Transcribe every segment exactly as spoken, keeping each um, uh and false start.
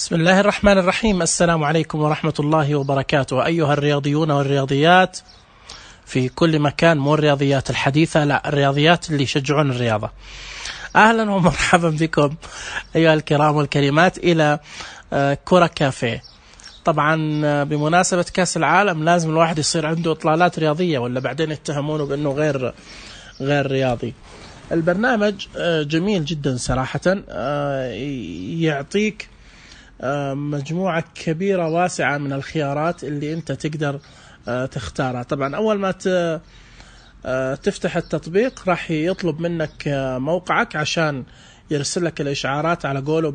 بسم الله الرحمن الرحيم. السلام عليكم ورحمة الله وبركاته أيها الرياضيون والرياضيات في كل مكان، مو الرياضيات الحديثة، لا الرياضيات اللي يشجعون الرياضة. أهلا ومرحبا بكم أيها الكرام والكريمات إلى كرة كافيه. طبعا بمناسبة كأس العالم لازم الواحد يصير عنده إطلالات رياضية ولا بعدين يتهمونه بأنه غير غير رياضي. البرنامج جميل جدا صراحة، يعطيك مجموعة كبيرة واسعة من الخيارات اللي أنت تقدر تختارها. طبعا أول ما تفتح التطبيق راح يطلب منك موقعك عشان يرسل لك الإشعارات على قوله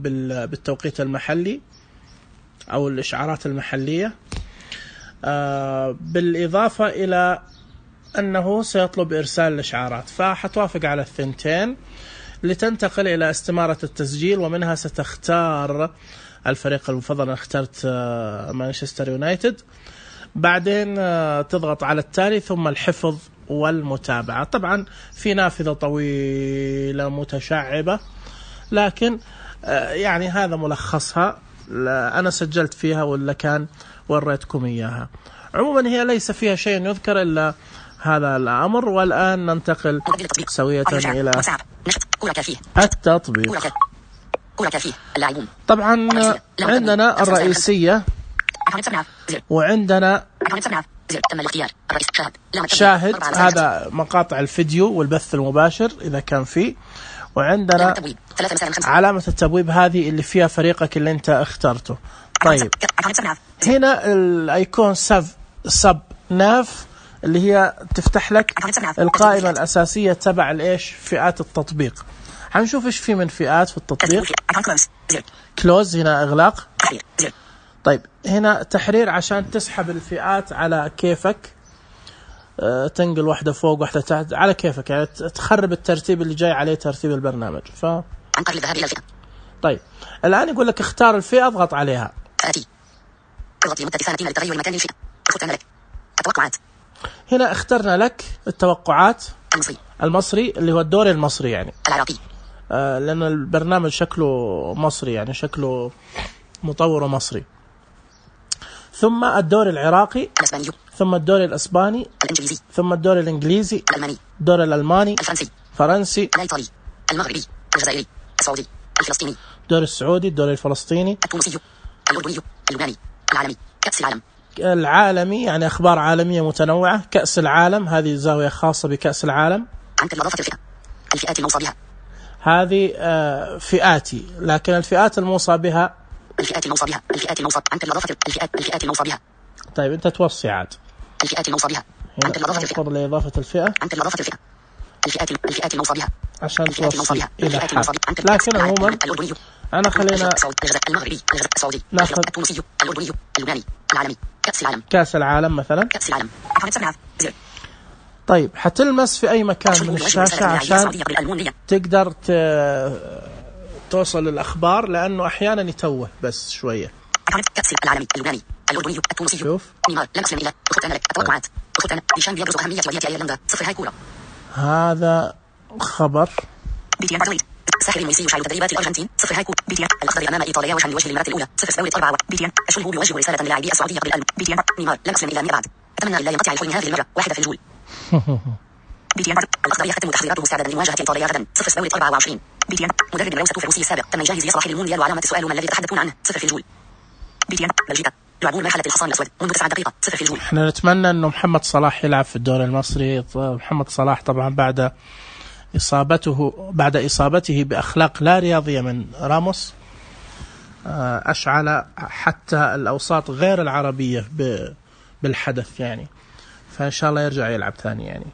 بالتوقيت المحلي أو الإشعارات المحلية، بالإضافة إلى أنه سيطلب إرسال الإشعارات، فحتوافق على الثنتين لتنتقل إلى استمارة التسجيل، ومنها ستختار الفريق المفضل. أنا اخترت مانشستر يونايتد، بعدين تضغط على التالي ثم الحفظ والمتابعة. طبعا في نافذة طويلة متشعبة، لكن يعني هذا ملخصها، أنا سجلت فيها ولا كان وريتكم إياها. عموما هي ليس فيها شيء يذكر إلا هذا الأمر. والآن ننتقل سوية إلى التطبيق. طبعا عندنا الرئيسية وعندنا شاهد، هذا مقاطع الفيديو والبث المباشر إذا كان فيه، وعندنا علامة التبويب هذه اللي فيها فريقك اللي انت اخترته. طيب هنا الايكون سب سب ناف اللي هي تفتح لك القائمة الأساسية تبع الايش فئات التطبيق. هنشوف ايش في من فئات في التطبيق. كلوز هنا اغلاق. طيب هنا تحرير عشان تسحب الفئات على كيفك، أه تنقل واحدة فوق واحدة تحت على كيفك، يعني تخرب الترتيب اللي جاي عليه ترتيب البرنامج. ف طيب الآن يقول لك اختار الفئة، اضغط عليها. هنا اخترنا لك التوقعات المصري, المصري اللي هو الدوري المصري يعني العراقي، آه لأن البرنامج شكله مصري، يعني شكله مطور مصري. ثم الدوري العراقي، ثم الدوري الأسباني، الإنجليزي، ثم الدوري الإنجليزي، الألماني، الدوري الألماني، الفرنسي، فرنسي، الإيطالي، المغربي، الجزائري، السعودي، الفلسطيني، الدوري السعودي، الدوري الفلسطيني، التونسي، الأردني، اللبناني، العالمي، كأس العالم. العالمي يعني أخبار عالمية متنوعة. كأس العالم هذه زاوية خاصة بكأس العالم. عن إضافة الفئة، الفئات الموصى بها هذه آه فئاتي، لكن الفئات الموصى بها الفئات الموصى بها الفئات الموصى عن إضافة الفئات الفئات الموصى بها. طيب أنت توصي عاد الفئات الموصى بها عن إضافة الفئة لإضافة الفئة عن إضافة الفئة الفئات الفئات الموصى بها عشان توصي إلى حد. لكن عموما أنا خلينا المغربي، السعودي، التونسي، الأردني، اللبناني، العالمي، كأس العالم، كأس العالم مثلا، كأس العالم. طيب حتلمس في أي مكان من الشاشة عشان تقدر توصل للأخبار، لأنه أحيانا يتوه بس شوية. كأس العالمي، اللبناني، الأردني، التونسي. شوف نيمار لم يصل إلى أخت أملك التوقعات أخت أمل ديشان بيبرز أهمية ودية أيرلندا صفر هاي كورة. هذا خبر بيتيان بارتوليد ساحر الميسي يشعل تدريبات الأرجنتين صفر هاي كورة. بيتيان الأخضر أمام إيطاليا وجها لوجه للمرة الأولى صفر سبوية أربعة. بيتيان أشله يوجه رسالة للاعبي السعودية قبل الألم. بيتيان نيمار لم يصل إلى مئة بعد، أتمنى لا ينقطع الحلم هذه المرة واحدة في الجول. بيتيان الأخضر يختم تحضيراته مستعدا لمواجهة إيطاليا غدا صفر سبوية أربعة وعشرين. بيتيان مدرب الروسة الروسي السابق تم يجهز يصلح للمونديال، وعلامة السؤال ما الذي تتحدثون عنه صفر في الجول. بيتيان بلجيكا يلعبون مرحلة الحصان الأسود منذ تسعة دقائق صفر في الجول. احنا نتمنى انه محمد صلاح يلعب في الدوري المصري. محمد صلاح طبعا بعد إصابته بعد إصابته بأخلاق لا رياضية من راموس أشعل حتى الأوساط غير العربية بالحدث يعني، فإن شاء الله يرجع يلعب ثاني يعني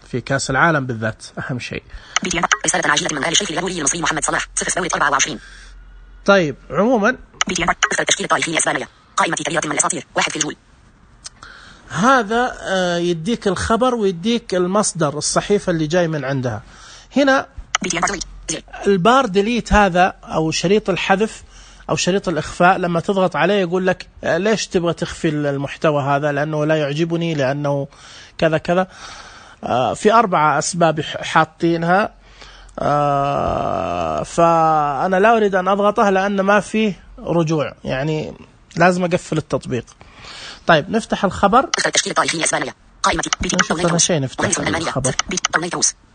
في كأس العالم بالذات أهم شيء. بيتيان رسالة عاجلة من آل الشيخ الغولي المصري محمد صلاح صفر سبوية أربعة وعشرين. طيب عموما بيتيان اختر تشكيل الطائفين الإسبانية قائمة كبيرة من الأساطير واحد في الجول. هذا يديك الخبر ويديك المصدر الصحيفة اللي جاي من عندها. هنا البار ديليت هذا أو شريط الحذف أو شريط الإخفاء، لما تضغط عليه يقول لك ليش تبغى تخفي المحتوى هذا، لأنه لا يعجبني، لأنه كذا كذا. في أربعة أسباب حاطينها، فأنا لا أريد أن أضغطها لأن ما فيه رجوع، يعني لازم أقفل التطبيق. طيب نفتح الخبر. تشكيل الطائفية الإسبانية قائمة نشوف هذا شيء. نفتح الخبر.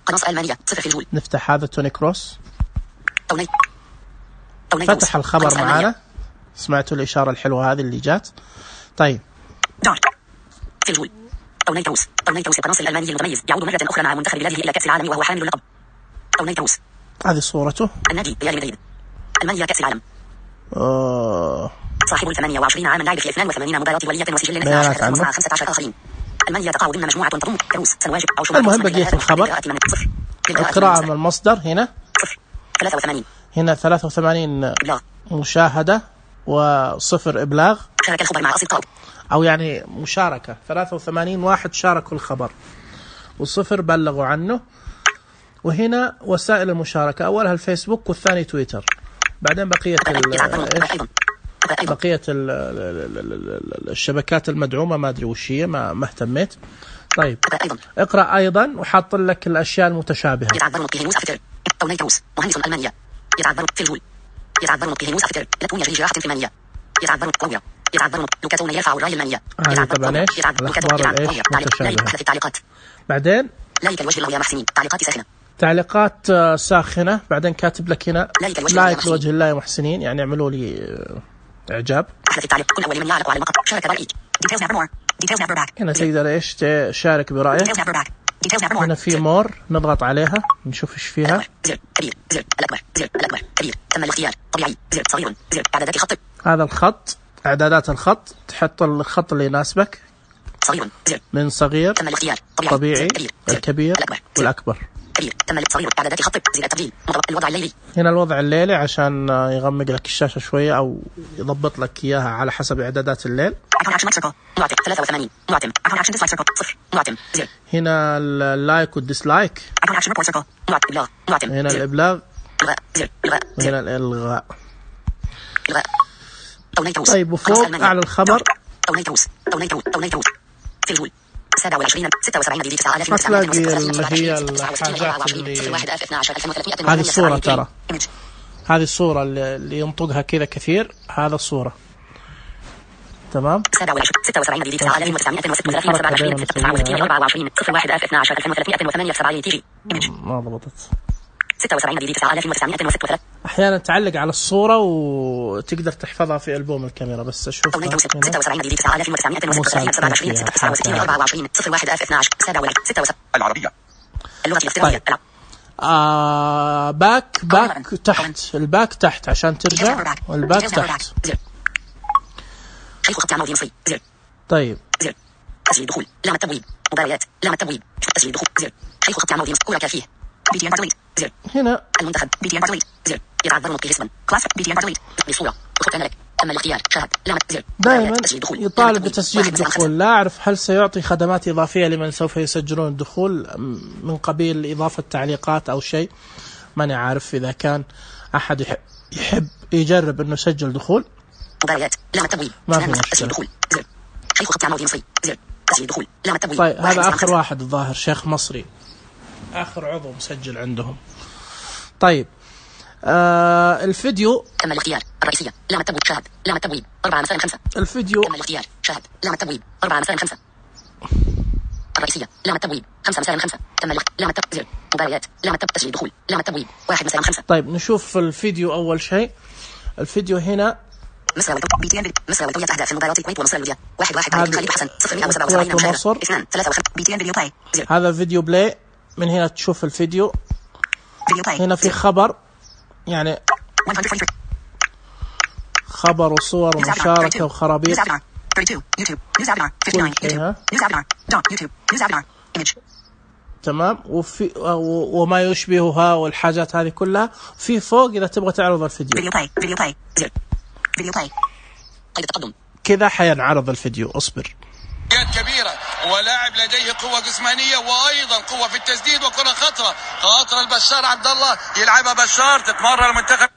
قناص ألمانيا صفر في الجول. نفتح هذا توني كروس. فتح الخبر معانا. سمعتوا الإشارة الحلوة هذه اللي جات. طيب في الجول. توني كروس. توني كروس القناص الألماني المتميز يعود مرة أخرى مع منتخب بلاده إلى كأس العالم وهو حامل اللقب. توني كروس. هذه صورته. النادي ريال مدريد. ألمانيا كأس العالم. أوه. صاحب الثمانية وعشرين عاما لعب في اثنين وثمانين مباراة ولية وسجل اثني عشر مع خمسة عشر آخرين. ألمانيا تقع ضمن مجموعة تضم كروس سنواجب أو شمال. المهم بقية الخبر. القراءة من المصدر هنا. ثلاثة وثمانين. هنا ثلاثة وثمانين مشاهدة وصفر إبلاغ. شارك الخبر مع أصدقائه. أو يعني مشاركة ثلاثة وثمانين واحد شاركوا الخبر وصفر بلغوا عنه. وهنا وسائل المشاركة، أولها الفيسبوك والثاني تويتر، بعدين بقية بقية الشبكات المدعومة ما أدري وش هي، ما ما اهتميت. طيب اقرأ أيضا وحاط لك الأشياء المتشابهة. يتعذر نطقه موسى فتر. توني كروس مهندس ألمانيا يتعذر في الجول. يتعذر نطقه موسى فتر. لتون يجري جراحة في مانيا. يتعذر قوية. يتعذر لوكاتون يرفع الراية المانية. هذه طبعا ايش الأخبار الايش متشابهة. التعليقات. بعدين لايك الوجه الله يا محسنين. تعليقات ساخنة. تعليقات ساخنة. بعدين كاتب لك هنا لايك لوجه الله يا محسنين، يعني اعملوا لي إعجاب. أحدث التعليق. كن أول من يعلق على المقطع. شارك برأيك. Details never more. Details never back. هنا تقدر إيش تشارك برأيك. Details never back. Details never more. هنا في مور نضغط عليها نشوف إيش فيها. زر كبير زر الأكبر زر الأكبر كبير. تم الاختيار. طبيعي زر صغير زر إعدادات الخط. هذا الخط إعدادات الخط، تحط الخط اللي يناسبك. صغير زر من صغير. تم الاختيار. طبيعي. الكبير والأكبر. كبير. تم صغير إعدادات الخط زر التبديل. الوضع الليلي. هنا الوضع الليلي عشان يغمق لك الشاشة شوية أو يضبط لك إياها على حسب إعدادات الليل. ثلاثة وثمانين معتم. هنا اللايك والديسلايك. هنا الإبلاغ. هنا الإلغاء. طيب وفوق أعلى الخبر في الجول سبعة وعشرين ستة وسبعين دقيقة تسعة آلاف وتسعمائة اللي هي الحاجات اللي هذه الصورة، ترى هذه الصورة اللي ينطقها كذا كثير، هذا الصورة تمام. ستة وسبعين دقيقة تسعة آلاف وتسعمائة وستة وثلاثين سبعة وعشرين تسعة وستين أربعة وعشرين صفر واحد ألف اثنا عشر ألف وثلاثمائة وثمانية وسبعين تيجي ما ضبطت. ستة وسبعين دقيقة تسعة آلاف وتسعمائة وستة وثلاثين. أحيانا تعلق على الصورة وتقدر تحفظها في ألبوم الكاميرا، بس أشوف ستة وسبعين دقيقة تسعة آلاف وتسعمائة وستة وثلاثين سبعة وعشرين تسعة وستين أربعة وعشرين صفر واحد ألف اثنا عشر سبعة وعشرين ستة وسبعين. العربية اللغة الافتراضية. آه باك باك تحت، الباك تحت عشان ترجع، والباك تحت. شيخ خط عمودي مصري زر. طيب زر تسجيل دخول لام التبويب مباريات لام التبويب تسجيل دخول زر. شيخ خط عمودي مصري كورة كافيه بي تي ام بارتويت زر. هنا المنتخب بي تي ام بارتويت زر. يتعذر نطقه اسما كلاس بي تي ام بارتويت بصورة وخط الملك. تم الاختيار شاهد لام زر. دائما يطالب بتسجيل الدخول. لا أعرف هل سيعطي خدمات إضافية لمن سوف يسجلون الدخول من قبيل إضافة تعليقات أو شيء، ماني عارف. إذا كان أحد يحب, يحب يجرب إنه يسجل دخول مباريات لام التبويب ما في مشكلة. شيخ خط عمودي مصري زر. تسجيل دخول لام التبويب. طيب هذا آخر واحد الظاهر شيخ مصري، آخر عضو مسجل عندهم. طيب آه الفيديو تم الاختيار الرئيسية لام التبويب شاهد لام التبويب أربعة مساء خمسة. الفيديو تم الاختيار شاهد لام التبويب أربعة مساء خمسة. الرئيسية لام التبويب خمسة مساء خمسة. تم لام التبويب زر. مباريات لام التبويب تسجيل دخول لام التبويب واحد مساء خمسة. طيب نشوف الفيديو. أول شيء الفيديو هنا مصر بي تي ان مصر والكويت تهدأ في مباراة الكويت ومصر الودية واحد واحد خالد حسن صفر مئة وسبعة وسبعين مشاهدة اثنان ثلاثة وخمسة بي تي ان فيديو بلاي. هذا فيديو بلاي. من هنا تشوف الفيديو. هنا في خبر يعني خبر وصور ومشاركة وخرابيط. تمام. وفي وما يشبهها والحاجات هذه كلها في فوق إذا تبغى تعرض الفيديو. كذا حينعرض الفيديو. اصبر. كبيرة ولاعب لديه قوة جسمانية وأيضا قوة في التسديد وكرة خطرة خاطرة البشار عبد الله يلعبها بشار تتمرر المنتخب.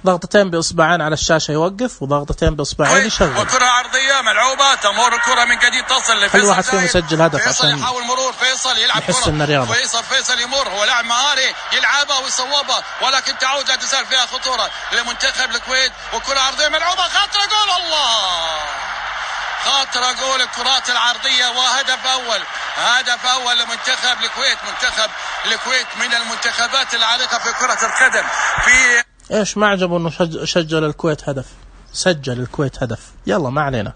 ضغطتين بإصبعين على الشاشة يوقف، وضغطتين بإصبعين يشغل. وكرة عرضية ملعوبة، تمر الكرة من جديد تصل لفيصل. كل واحد فيهم يسجل هدف عشان يحاول مرور فيصل، يلعب نحس إنه رياضة. فيصل فيصل يمر، هو لاعب مهاري يلعبها ويصوبها، ولكن تعود لا تزال فيها خطورة لمنتخب الكويت. وكرة عرضية ملعوبة، خاطرة جول، الله خاطرة جول الكرات العرضية، وهدف أول هدف أول لمنتخب الكويت. منتخب الكويت من المنتخبات العريقة في كرة القدم. في ايش ما عجبه انه شج... سجل الكويت هدف، سجل الكويت هدف. يلا ما علينا.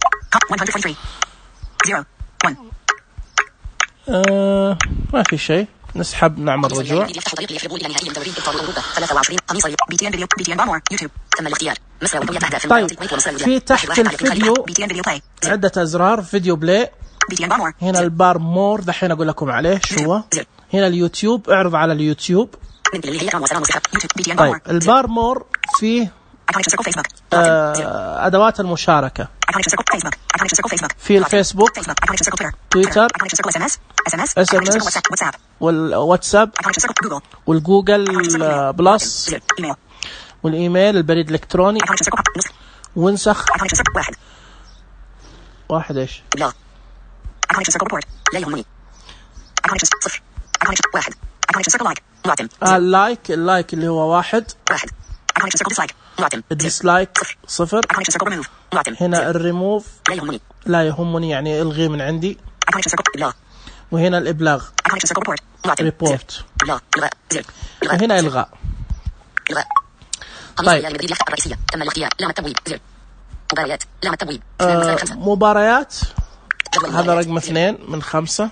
آه ما في شيء، نسحب نعمل رجوع. طيب في تحت الفيديو عدة أزرار، فيديو بلاي، هنا البار مور دحين أقول لكم عليه شو هو. هنا اليوتيوب، اعرض على اليوتيوب. طيب البار مور فيه آه أدوات المشاركة، في الفيسبوك، تويتر، اس ام اس، والواتساب، والجوجل بلس، والايميل، البريد الالكتروني، ونسخ واحد ايش لا يهمني واحد اللايك اللايك اللي هو واحد واحد الديسلايك صفر. هنا الريموف لا يهمني لا يهمني يعني الغي من عندي. وهنا الابلاغ ريبورت. وهنا الغاء. طيب الرئيسية تم الاختيار، لام التبويب، زر مباريات، لام التبويب، آه مباريات، هذا رقم اثنين من خمسة.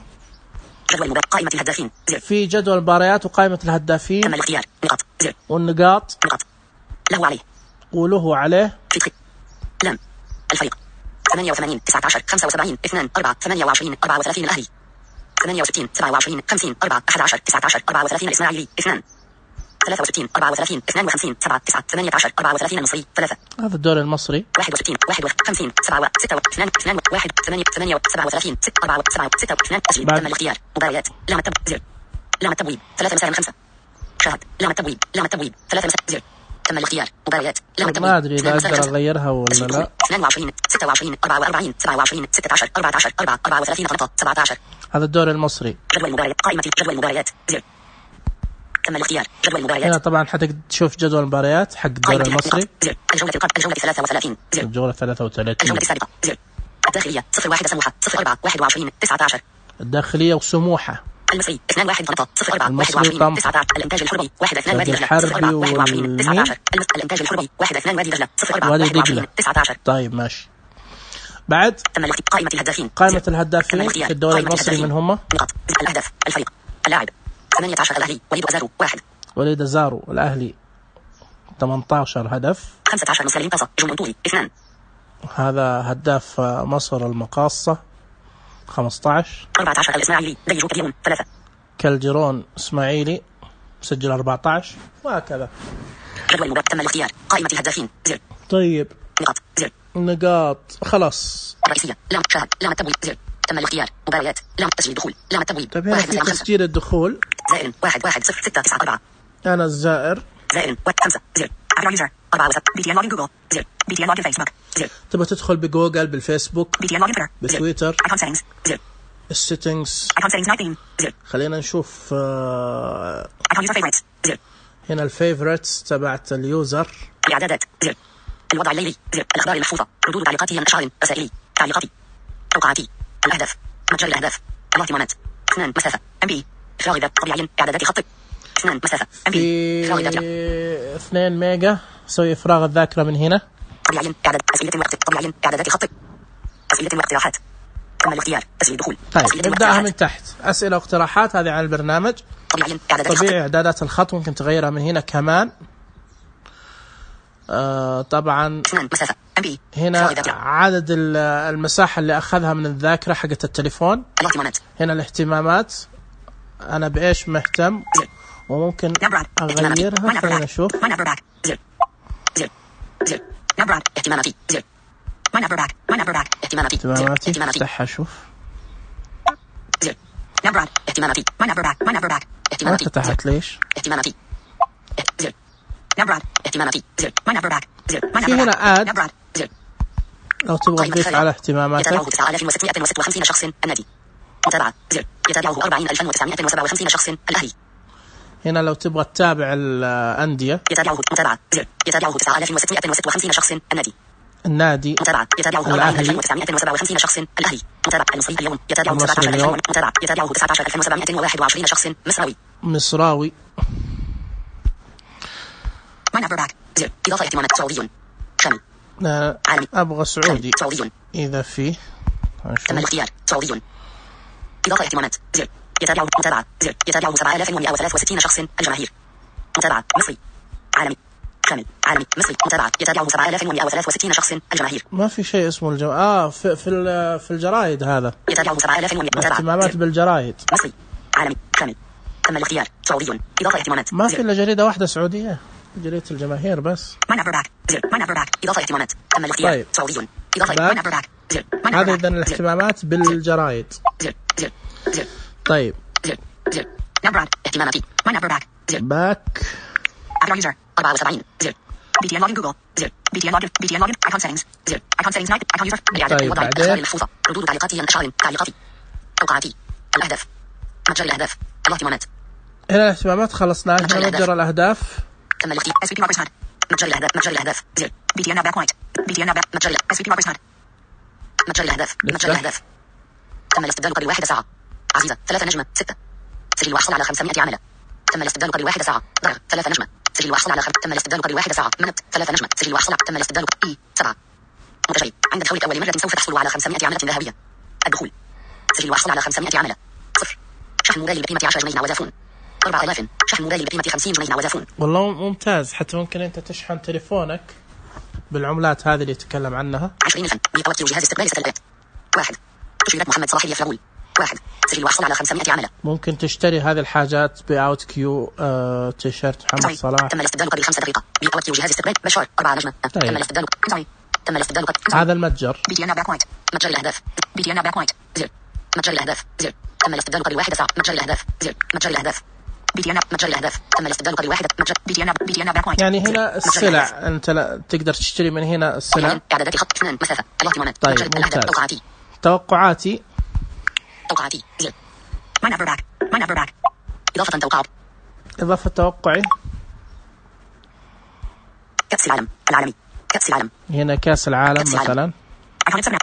جدول قائمة الهدافين، زر في جدول المباريات وقائمة الهدافين. تم الاختيار، نقاط، زر والنقاط، نقاط له عليه وله عليه. لام الفريق ثمانية وثمانين تسعة عشر خمسة وسبعين اثنان أربعة ثمانية وعشرين أربعة وثلاثين الأهلي ثمانية وستين سبعة وعشرين خمسين أربعة أحد عشر تسعة عشر أربعة وثلاثين الإسماعيلي اثنان ثلاثة وستين أربعة وثلاثين اثنان وخمسين سبعة تسعة ثمانية عشر أربعة وثلاثين المصري ثلاثة. هذا الدوري المصري. واحد وستين واحد وخمسين سبعة ستة اثنان اثنان واحد ثمانية ثمانية سبعة وثلاثين ستة أربعة سبعة ستة اثنان تسجيل. تم الاختيار، مباريات، لام التبويب، زر لام التبويب ثلاثة مساء خمسة. شاهد لام التبويب لام التبويب ثلاثة مساء، زر تم الاختيار، مباريات، لام التبويب. ما ادري اذا اقدر اغيرها ولا لا. اثنان وعشرين ستة وعشرين أربعة وأربعين سبعة وعشرين ستة عشر أربعة عشر أربعة أربعة وثلاثين سبعة عشر. هذا الدوري المصري. جدول المباريات، قائمة جدول المباريات، زر تم الاختيار، جدول المباريات. هنا طبعا حتقدر تشوف جدول المباريات حق الدوري المصري. زر الجولة القادمة، الجولة ثلاثة وثلاثين، زر الجولة ثلاثة وثلاثين. الجولة السابقة، زر الداخلية صفر واحد سموحة صفر أربعة واحد وعشرين تسعة عشر. الداخلية وسموحة. المصري اثنان واحد طنطا صفر أربعة واحد وعشرين تسعة عشر. الإنتاج الحربي واحد اثنان وادي دجلة صفر أربعة واحد وعشرين تسعة عشر. الإنتاج الحربي واحد اثنان وادي دجلة صفر أربعة واحد وعشرين تسعة عشر. طيب ماشي. بعد تم الاختيار، قائمة الهدافين، قائمة الهدافين في الدوري المصري من هم؟ نقاط الأهداف، الفريق، اللاعب ثمانية عشر الأهلي وليد أزارو واحد. وليد أزارو الأهلي ثمانية عشر هدف. خمسة عشر مسلم طاسة جمهور طولي اثنان. هذا هداف مصر المقاصة خمسة عشر. أربعة عشر الإسماعيلي ديجو كالجيرون ثلاثة. كالجيرون إسماعيلي سجل أربعة عشر وهكذا. جدول المباراة، تم الاختيار، قائمة الهدافين، زر طيب نقاط، زر نقاط خلاص. الرئيسية، لام شاهد لام التبويب، زر تم الاختيار، مباريات، لام تسجيل دخول، لام التبويب. طيب هنا في تسجيل الدخول. زائر واحد واحد صفر ستة تسعة أربعة. أنا الزائر. زائر واحد خمسة، زر عبر يوزر أربعة وسط بي تي إن لوجن جوجل، زر بي تي إن لوجن فيسبوك، زر تبغى تدخل بجوجل بالفيسبوك بي تي إن لوجن تويتر، بتويتر. ايكون سيتنجز، زر السيتنجز ايكون سيتنجز تسعة عشر، زر خلينا نشوف آه ايكون يوزر فيفوريتس، زر هنا الفيفوريتس تبعت اليوزر. الاعدادات، زر الوضع الليلي، زر الاخبار المحفوظه، ردود تعليقاتي الاشعار رسائلي تعليقاتي توقعاتي الاهداف متجر الاهداف الاهتمامات اثنان مسافه ام بي افراغ ذات طبيعي اعدادات خط اثنان مسافه ام بي افراغ ذات اثنين ميجا سوي افراغ الذاكره من هنا طبيعي اعداد اسئله الوقت طبيعي اعدادات خط اسئله واقتراحات تم الاختيار تسجيل دخول. طيب نبداها من تحت، اسئله واقتراحات هذه عن البرنامج. طبيعي اعدادات طبيعي اعدادات الخط ممكن تغيرها من هنا كمان. آه طبعا هنا عدد المساحة اللي أخذها من الذاكرة حقت التليفون. هنا الاهتمامات أنا بإيش مهتم وممكن أغيرها. خلينا نشوف. اهتماماتي اهتماماتي افتحها شوف. اهتماماتي ما فتحت ليش؟ اهتماماتي نبراد اهتماماتي زر ما نبراد زر ما في هنا آد نبراد زر لو تبغى تضيف على اهتماماتك. يتابعه تسعة آلاف وستمائة وستة وخمسين شخص النادي. متابعة زر يتابعه أربعين ألفا وتسعمائة وسبعة وخمسين شخص الأهلي. هنا لو تبغى تتابع الأندية يتابعه متابعة زر يتابعه تسعة آلاف وستمائة وستة وخمسين شخص النادي. النادي متابعة يتابعه أربعين ألفا وتسعمائة وسبعة وخمسين شخص الأهلي. متابعة المصري اليوم يتابعه سبعة عشر ألفا. متابعة يتابعه تسعة عشر ألفا وسبعمائة وواحد وعشرين شخص مصراوي. مصراوي. ما نبراد زر إضافة اهتمامات سعودي شامل. لا عالمي. أبغى سعودي. سعودي. إذا فيه. تم الاختيار سعودي. إضافة اهتمامات زر يتابعه متابعة زر يتابعه سبعة آلاف ومائة وثلاثة وستين شخص الجماهير. متابعة مصري عالمي شامل عالمي مصري. متابعة يتابعه سبعة آلاف ومائة وثلاثة وستين شخص الجماهير. ما في شيء اسمه الجو... آه في في في الجرايد هذا. يتابعه سبعة آلاف ومائة. متابعة اهتمامات بالجرايد. مصري عالمي شامل. تم الاختيار سعودي. إضافة اهتمامات ما في إلا جريدة واحدة سعودية جريدة الجماهير بس. ما نبراد زر ما نبراد إضافة اهتمامات تم الاختيار طيب. سعودي. إضافة ما نبراد زر هذا إذن الاهتمامات بالجرايد. زر زر زر طيب زر زر نبراد اهتماماتي ما نبراد زر باك أدرى يوزر أربعة وسبعين زر بي تي إن لوجن جوجل زر بي تي إن لوجن بي تي إن لوجن أيكون سيتنجز زر أيكون سيتنجز نايت أيكون يوزر إعادة الوضع الأخبار المحفوظة ردود تعليقاتي الأشعار تعليقاتي توقعاتي الأهداف متجر الأهداف الاهتمامات. هنا الاهتمامات خلصناها. هنا متجر الأهداف تم الاختيار اس بي بي ماركس هاد متجر الأهداف متجر الأهداف زر بي تي إن باك وايت بي تي إن باك متجر اس بي بي ماركس هاد متجر الأهداف متجر الأهداف. تم الاستبدال قبل واحدة ساعة. عزيزة ثلاثة نجمة ستة سجل وحصل على خمسمائة عملة. تم الاستبدال قبل واحدة ساعة. ضرر ثلاثة نجمة سجل وحصل على خم... تم الاستبدال قبل واحدة ساعة. منت ثلاثة نجمة سجل وحصل. تم الاستبدال اي سبعة. متشيء عند دخولك أول مرة سوف تحصل على خمسمائة عملة ذهبية. الدخول سجل وحصل على خمسمائة عملة. صفر شحن موبايل بقيمة عشرة جنيه وزافون. أربعة آلاف شحن موبايل بقيمة خمسين جنيه وزافون. والله ممتاز. حتى ممكن أنت تشحن تليفونك بالعملات هذه اللي يتكلم عنها. عشرين ألفا بيتوكل جهاز استقبال ستلات. واحد تشيرات محمد صلاح اليفرغول. واحد سجل وحصل على خمسمائة عملة. ممكن تشتري هذه الحاجات بأوت كيو آه، تيشيرت محمد صلاح. تم الاستبدال قبل خمسة دقيقة. بيتوكل جهاز استقبال بشار أربعة نجمة. طيب. تم الاستبدال تم الاستبدال هذا المتجر بي تي إن باك وايت متجر الأهداف بي تي إن باك وايت زر متجر الأهداف زر تم الاستبدال قبل واحدة ساعة. متجر الأهداف زر متجر الأهداف بي تي إن متجر الأهداف تم الاستبدال قبل واحدة متجر بي تي إن بي تي إن باك وايت. يعني هنا السلع أنت لا تقدر تشتري من هنا السلع. إعدادات خط اثنان مسافة الاهتمامات. طيب ممتاز. توقعاتي توقعاتي توقعاتي زر ما نبرك ما نبرك إضافة توقعات إضافة توقعي. كأس العالم العالمي كأس العالم. هنا كأس العالم مثلا.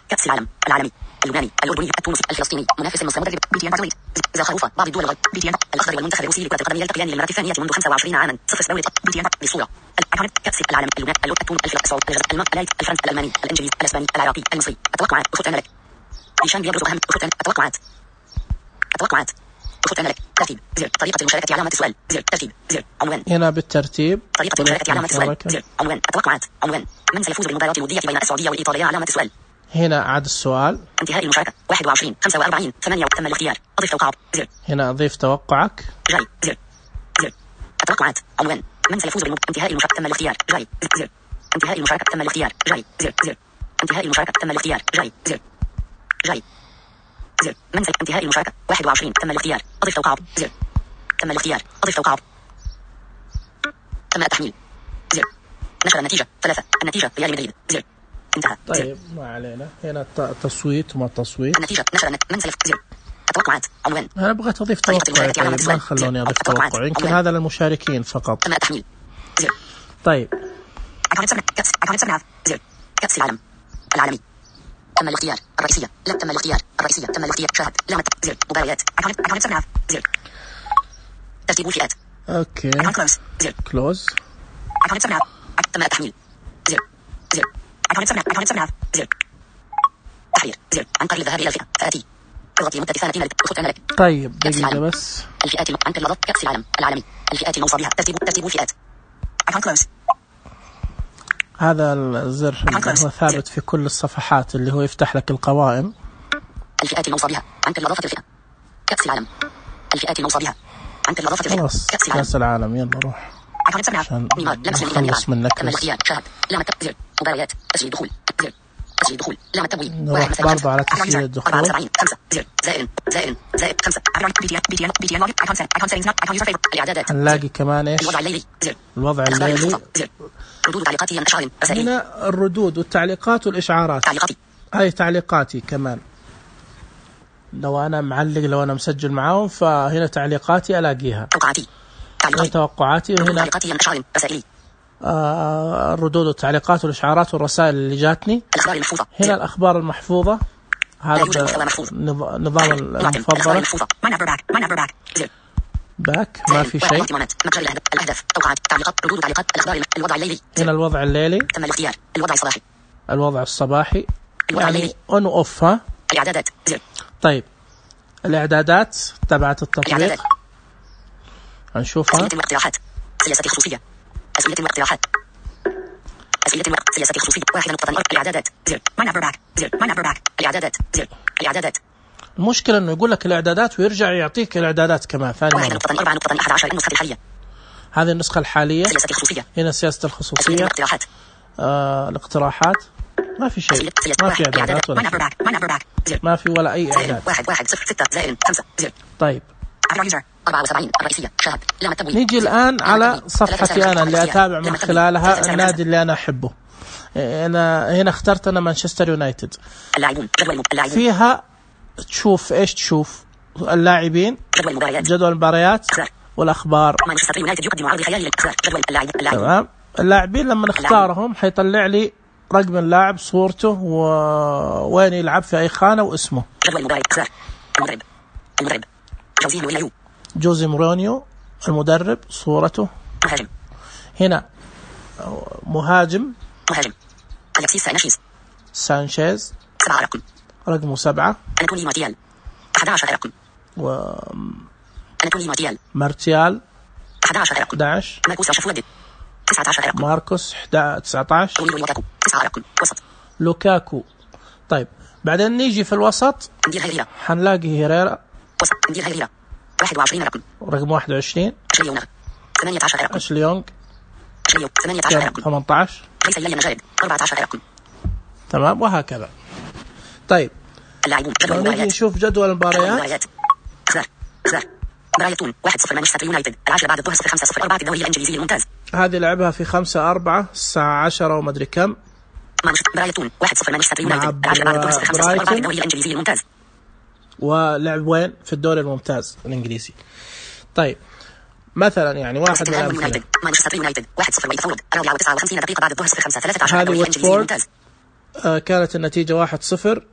كأس العالم العالمي اللبناني الأردني التونسي الفلسطيني منافس المصري مدرب بي تي إن بارزويت زخروفة بعض الدول الغرب بي تي إن الأخضر والمنتخب الروسي لكرة القدم يلتقيان للمرة الثانية منذ خمسة وعشرين عاما. صفر سبويت بي تي إن بصورة كأس العالم اللبناني التونسي السعودي الجزائر المغرب الفرنسي الألماني الإنجليزي الإسباني العراقي المصري. التوقعات أخذت أنا لك نيشان بيبرز أهم أخذت التوقعات التوقعات أخذت أنا لك ترتيب زر طريقة المشاركة علامة السؤال زر ترتيب زر عنوان. هنا بالترتيب طريقة المشاركة علامة السؤال زر عنوان. التوقعات عنوان. من سيفوز بالمباراة الودية بين السعودية والإيطالية علامة السؤال. هنا عاد السؤال. انتهاء المشاركة واحد وعشرين خمسة وأربعين ثمانية. تم الاختيار. أضف توقعات زر. هنا أضيف توقعك. جاي زر زر. التوقعات عنوان. من سيفوز بالمباراة. انتهاء المشاركة تم الاختيار. جاي زر. انتهاء المشاركة تم الاختيار. جاي زر زر. انتهاء المشاركة تم الاختيار. جاي زر جاي زر. من سي... انتهاء المشاركة واحد وعشرين تم الاختيار. أضف توقعات زر. تم الاختيار. أضف توقعات. تم التحميل زر. نشر النتيجة ثلاثة. النتيجة ريال مدريد زر. انتهى. طيب ما علينا. هنا تصويت وما تصويت. النتيجة نشر النت... من سيف زر. التوقعات عنوان. أنا أبغى أضيف توقع. طيب ما خلوني أضيف توقع. يمكن هذا للمشاركين فقط. تم التحميل زر. طيب. كأس زر. كأس العالم العالمي. تم الاختيار. الرئيسية لا تم الاختيار. الرئيسية تم الاختيار. شاهد لا زر. مباريات زر. ترتيب الفئات. أوكي. كلوز زر. كلوز. تم التحميل زر زر. زر. تحرير زر. انقر الذهاب إلى الفئة فآتي اضغطي مدة ثانية لك. طيب دقيقة بس. الفئات انقر لضغط كأس العالم العالمي. الفئات الموصى بها ترتيب ترتيب الفئات. كلوز. هذا الزر هو ثابت في كل الصفحات اللي هو يفتح لك القوائم. الفئات الموصى بها انقر لضغط الفئة. كأس العالم. الفئات الموصى بها انقر لضغط الفئة. خلاص كأس العالم يلا روح. عشان نخلص منك. تم الاختيار. شاهد لا زر. مباريات تسجيل دخول زر. تسجيل الدخول لام التبويب نروح برضه على تسجيل الدخول. أربعة وسبعين خمسة زر زائر زائر زائر خمسة بي دي بي دي بي دي ايكون سيت ايكون سيتنجز ايكون يوزر فيفورت الإعدادات هنلاقي كمان إيش الوضع الليلي زر الوضع الليلي ردود تعليقاتي أشعار رسائل هنا الردود والتعليقات والإشعارات تعليقاتي هاي تعليقاتي كمان لو أنا معلق لو أنا مسجل معاهم فهنا تعليقاتي ألاقيها توقعاتي هنا توقعاتي وهنا تعليقاتي أشعار رسائلي آه الردود والتعليقات والإشعارات والرسائل اللي جاتني. الأخبار المحفوظة هنا الأخبار المحفوظة هذا نظام المفضل باك ما في شيء. الأهداف توقعات تعليقات ردود تعليقات الأخبار الوضع الليلي هنا الوضع الليلي تم الاختيار الوضع الصباحي الوضع الصباحي الوضع يعني الليلي اون اوف. ها الإعدادات زر طيب الإعدادات تبعت التطبيق الإعدادات هنشوفها. أسئلة واقتراحات سياسة خصوصية أسئلة واقتراحات أسئلة واقتراحات سياسة خصوصية واحدة نقطة أربعة الإعدادات زر ما نمبر باك زر ما نمبر باك الإعدادات زر الإعدادات المشكلة إنه يقول لك الإعدادات ويرجع يعطيك الإعدادات كمان ثاني واحدة مرة. نقطة أربعة نقطة أحد عشر النسخة الحالية هذه النسخة الحالية. سياسة خصوصية هنا سياسة أسئلة الخصوصية واقتراحات آه الاقتراحات ما في شيء ما في إعدادات ولا ما نمبر باك ما نمبر باك زر ما في ولا أي إعداد. واحد واحد صفر ستة زائر خمسة زر طيب أربعة وسبعين الرئيسية شاهد لام التبويب. نيجي الآن على صفحتي أنا اللي أتابع من خلالها النادي اللي أنا أحبه. أنا هنا اخترت أنا مانشستر يونايتد. اللاعبون جدول اللاعبون فيها تشوف إيش تشوف اللاعبين جدول المباريات جدول المباريات والأخبار. مانشستر يونايتد يقدم عرض خيالي للإخسار جدول اللاعب اللاعب تمام. اللاعبين لما نختارهم حيطلع لي رقم اللاعب صورته ووين يلعب في أي خانة واسمه. جدول المباريات إخسار المدرب المدرب جوزيه مورينيو جوزي مورينيو المدرب صورته. مهاجم هنا مهاجم مهاجم أليكسيس سانشيز سانشيز سبعة رقم رقمه سبعة. أناتولي مارتيال أحد عشر رقم و أناتولي مارتيال مارتيال أحد عشر رقم أحد عشر. ماركوس راشفورد تسعة عشر رقم ماركوس تسعة عشر. لوكاكو تسعة رقم وسط لوكاكو. طيب بعدين نيجي في الوسط ندير هيريرا حنلاقي هيريرا وسط ندير هيريرا واحد وعشرين رقم رقم واحد وعشرين. أشلي يونغ ثمانية عشر رقم أشلي يونغ أشلي يونغ ثمانية عشر رقم ثمانية عشر. ليس إلي مجارد أربعة عشر رقم تمام وهكذا. طيب اللاعبون جدول نيجي المباريات نشوف جدول المباريات. المباريات إخسار إخسار برايتون واحد صفر مانشستر يونايتد العاشرة بعد الظهر صفر خمسة صفر أربعة في الدوري الإنجليزي الممتاز. هذه لعبها في خمسة أربعة الساعة عشرة ومدري كم. مانشستر برايتون واحد صفر مانشستر يونايتد العاشرة بعد الظهر صفر خمسة صفر أربعة في الدوري الإنجليزي الممتاز. ولعب وين في الدوري الممتاز الإنجليزي. طيب مثلا يعني واحد من الأمثلة مانشستر يونايتد واحد صفر ويتفورد الرابعة وتسعة وخمسين دقيقة بعد الظهر صفر خمسة ثلاثة عشر هذه الدوري الإنجليزي واتفورد الممتاز. آه كانت النتيجة واحد صفر.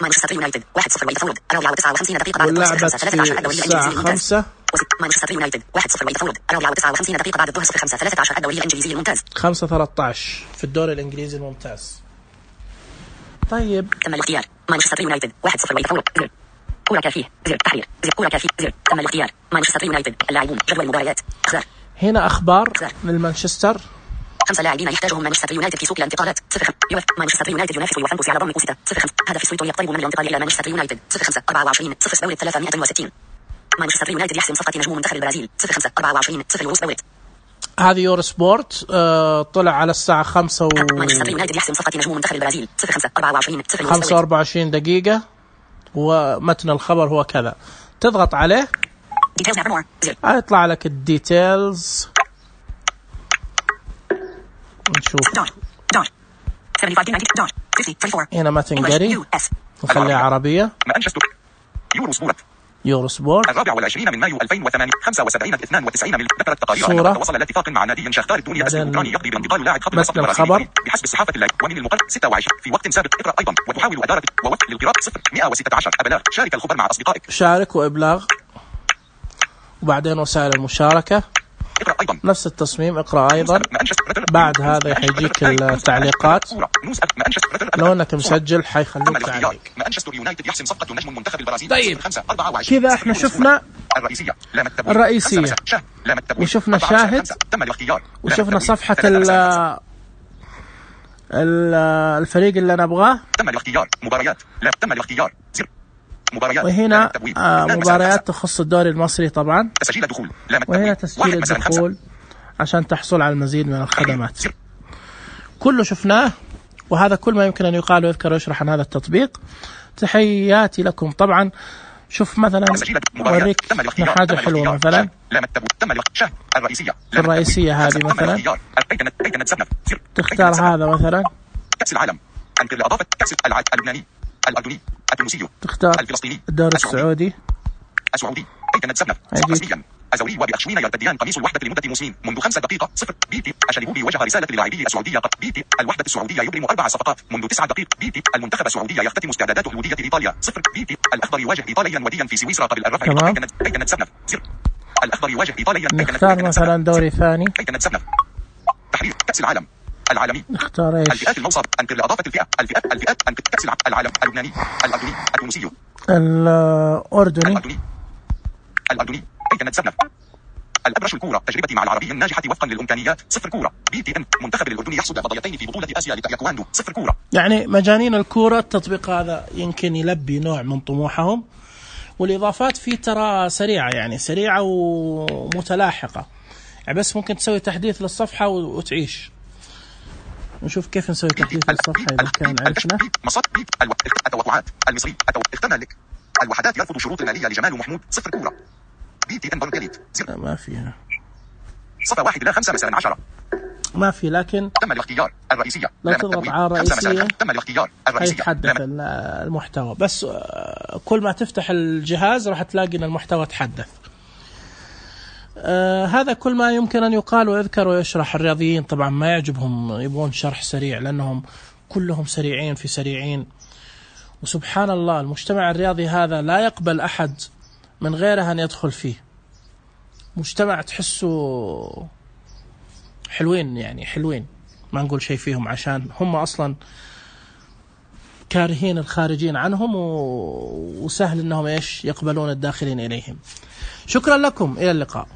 مانشستر يونايتد واحد صفر ويتفورد الرابعة وتسعة وخمسين دقيقة بعد الظهر صفر خمسة ثلاثة عشر الدوري الإنجليزي الممتاز. مانشستر يونايتد واحد صفر ويتفورد الرابعة وتسعة وخمسين دقيقة بعد الظهر صفر خمسة ثلاثة عشر الدوري الإنجليزي الممتاز. خمسة ثلاثة عشر في الدوري الإنجليزي الممتاز. طيب تم الاختيار مانشستر يونايتد واحد صفر ويتفورد زر كرة كافية زر تحرير زر كرة كافية زر تم الاختيار مانشستر يونايتد اللاعبون جدول المباريات اخبار. هنا أخبار من مانشستر. خمسة لاعبين يحتاجهم مانشستر يونايتد في سوق الانتقالات صفر خمسة مانشستر يونايتد ينافس ويفنبس على ضم كوستا صفر خمسة هدف سويتو يقترب من الانتقال إلى مانشستر يونايتد صفر خمسة أربعة وعشرين صفر دوري ثلاثمائة وستين مانشستر يونايتد يحسم صفقة نجم منتخب البرازيل صفر خمسة أربعة وعشرين صفر يورو سبورت. هذه يورو سبورت آه طلع على الساعة خمسة و مانشستر يونايتد يحسم صفقة نجم منتخب البرازيل صفر خمسة أربعة وعشرين صفر يورو خمسة وأربعة وعشرين دقيقة ومتن الخبر هو كذا. تضغط عليه هيطلع لك الديتيلز. نشوف هنا ما تنقري نخليها عربية. يورو سبورت يورو سبورت الرابع والعشرين من مايو ألفين وثمانية خمسة وسبعين اثنان وتسعين مل ذكرت تقارير أنه وصل لاتفاق مع نادي شختار الدنيا أسد الأوكراني يقضي بانتقال لاعب خط الوسط البرازيلي بحسب الصحافة اللاعب ومن المقرر ستة وعشرين في وقت سابق. اقرأ أيضا وتحاول أدارة ووفق للقراءة صفر مئة وستة عشر أبلاغ شارك الخبر مع أصدقائك. شارك وإبلاغ وبعدين وسائل المشاركة اقرأ أيضا نفس التصميم. اقرأ أيضا بعد هذا حيجيك التعليقات. لو أنك مسجل حيخليك تعليق. مانشستر يونايتد يحسم صفقة نجم منتخب البرازيل. طيب كذا احنا شفنا الرئيسية الرئيسية وشفنا شاهد وشفنا صفحة ال الفريق اللي نبغاه. تم الاختيار مباريات لا تم الاختيار زر مباريات. وهنا آه مباريات تخص الدوري المصري طبعا. تسجيل الدخول وهنا تسجيل الدخول عشان تحصل على المزيد من الخدمات. كله شفناه وهذا كل ما يمكن أن يقال ويذكر ويشرح عن هذا التطبيق. تحياتي لكم. طبعا شوف مثلا أوريك حاجة حلوة مثلا في الرئيسية هذه مثلا تختار هذا مثلا كأس العالم أنكر لإضافة كأس اللبناني الأردني التونسي تختار الفلسطيني الدوري السعودي السعودي أيتنا تسبنا رسميا أزوري وبأخشوين يرتديان قميص الوحدة لمدة موسمين منذ خمسة دقائق صفر بيتي الشلبوبي وجه رسالة للاعبي السعودية بيتي الوحدة السعودية يبرم أربع صفقات منذ تسع دقائق بيتي المنتخب السعودي يختتم استعداداته لودية إيطاليا صفر بيتي الأخضر يواجه إيطاليا وديا في سويسرا قبل الرفع أيتنا تسبنا زر الأخضر يواجه إيطاليا نختار مثلا دوري ثاني أيتنا تسبنا تحرير كأس العالم العالمي نختار ايش الفئات الموصى انكر لإضافة الفئة الفئات الفئات انكر كأس العالم اللبناني الأردني التونسي الأردني الأردني الأردني أيتنا تسبنا الأبرش الكورة تجربتي مع العربي الناجحة وفقا للإمكانيات صفر كورة بي تي إن منتخب الأردني يحصد فضيتين في بطولة آسيا لتايكواندو صفر كورة. يعني مجانين الكورة. التطبيق هذا يمكن يلبي نوع من طموحهم، والإضافات فيه ترى سريعة يعني سريعة ومتلاحقة يعني بس ممكن تسوي تحديث للصفحة وتعيش. نشوف كيف نسوي تحديث للصفحة إذا كان عرفنا. التوقعات المصري اخترنا لك الوحدات يرفض شروط المالية لجمال محمود صفر كورة بي تي إن برجليت ما فيها صفة واحد إلى خمسة مثلا عشرة ما في، لكن تم الاختيار الرئيسية لو تضغط على الرئيسية تم الاختيار الرئيسية يتحدث المحتوى. بس كل ما تفتح الجهاز راح تلاقي ان المحتوى تحدث. آه هذا كل ما يمكن أن يقال ويذكر ويشرح. الرياضيين طبعا ما يعجبهم، يبغون شرح سريع لأنهم كلهم سريعين في سريعين. وسبحان الله المجتمع الرياضي هذا لا يقبل أحد من غيره أن يدخل فيه. مجتمع تحسه حلوين يعني حلوين، ما نقول شيء فيهم عشان هم أصلا كارهين الخارجين عنهم وسهل أنهم إيش يقبلون الداخلين إليهم. شكرا لكم، إلى اللقاء.